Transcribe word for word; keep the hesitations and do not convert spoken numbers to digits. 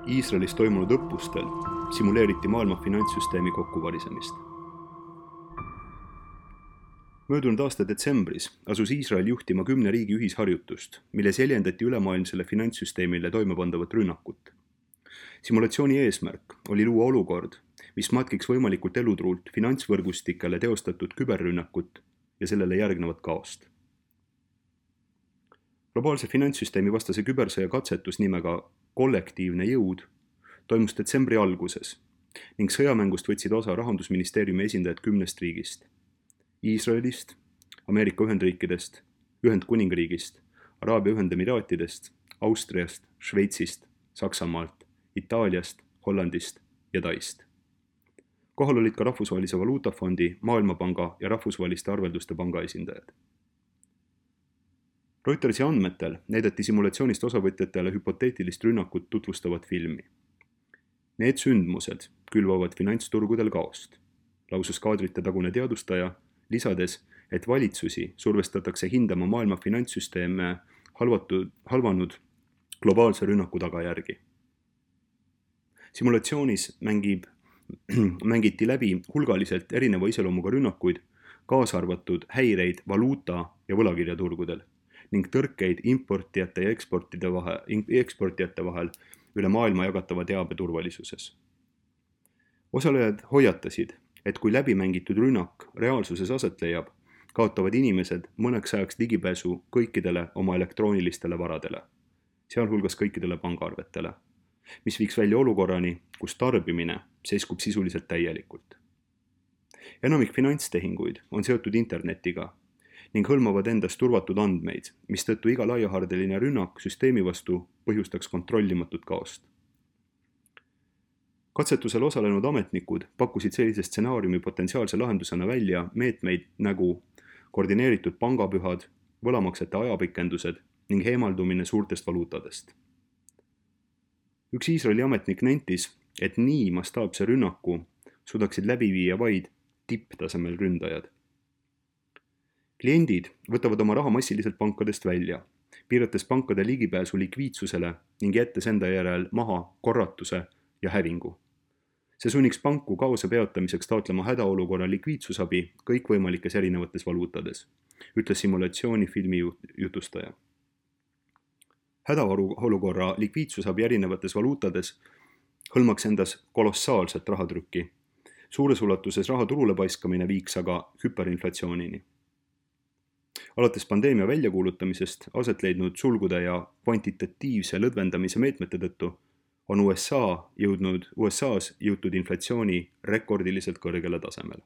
Iisraelis toimunud õppustel simuleeriti maailma finantssüsteemi kokkuvarisemist. Möödunud aasta detsembris asus Iisrael juhtima kümne riigi ühisharjutust, milles jäljendati ülemaailmsele finantssüsteemile toimepandavat rünnakut. Simulatsiooni eesmärk oli luua olukord, mis matkiks võimalikult elutruult finantsvõrgustikele teostatud küberrünnakut ja sellele järgnevat kaost. Globaalse finantssüsteemi vastase kübersõja katsetus nimega kollektiivne jõud toimus detsembri alguses ning sõjamängust võtsid osa Rahandusministeeriumi esindajad kümnest riigist: Iisraelist, Ameerika Ühendriikidest, Ühendkuningriigist, Araabia Ühendemiraatidest, Austriast, Šveitsist, Saksamaalt, Itaaliast, Hollandist ja Taist. Kohal olid ka Rahvusvahelise Valuutafondi, Maailmapanga ja Rahvusvaheliste Arvelduste Panga esindajad. Reutersi andmetel näidati simulatsioonist osavõtjatele hüpoteetilist rünnakut tutvustavat filmi. Need sündmused külvavad finantsturgudel kaost, lausus kaadrite tagune teadustaja, lisades, et valitsusi survestatakse hindama maailma finantssüsteeme halvatud, halvanud globaalse rünnaku tagajärgi. Simulatsioonis mängib, mängiti läbi hulgaliselt erineva iseloomuga rünnakuid, kaasa arvatud häireid valuuta- ja võlakirjaturgudel ning tõrkeid importijate ja eksportide vahel, eksportijate vahel üle maailma jagatava teabe turvalisuses. Osalejad hoiatasid, et kui läbimängitud rünnak reaalsuses aset leiab, kaotavad inimesed mõneks ajaks ligipääsu kõikidele oma elektroonilistele varadele, sealhulgas kõikidele pangaarvetele, mis viiks välja olukorrani, kus tarbimine seiskub sisuliselt täielikult. Enamik finantstehinguid on seotud internetiga ning hõlmavad endas turvatud andmeid, mistõttu iga laiahardeline rünnak süsteemi vastu põhjustaks kontrollimatut kaost. Katsetusel osalenud ametnikud pakkusid sellise stsenaariumi potentsiaalse lahendusena välja meetmeid nagu koordineeritud pangapühad, võlamaksete ajapikendused ning eemaldumine suurtest valuutadest. Üks Iisraeli ametnik nentis, et nii mastaapse rünnaku suudaksid läbi viia vaid tipptasemel ründajad. Kliendid võtavad oma raha massiliselt pankadest välja, piirates pankade ligipääsu likviidsusele ning jättes enda järel maha korratuse ja hävingu. See sunniks panku kaose peatamiseks taotlema hädaolukorra likviidsusabi kõikvõimalikes erinevates valuutades, ütles simulatsiooni filmi jutustaja. Hädaolukorra likviidsusabi erinevates valuutades hõlmaks endas kolossaalset rahatrükki. Suures ulatuses raha turule paiskamine viiks aga hüperinflatsioonini. Alates pandeemia väljakuulutamisest aset leidnud sulgude ja kvantitatiivse lõdvendamise meetmete tõttu on U S A jõudnud, U S A-s jõutud inflatsiooni rekordiliselt kõrgele tasemele.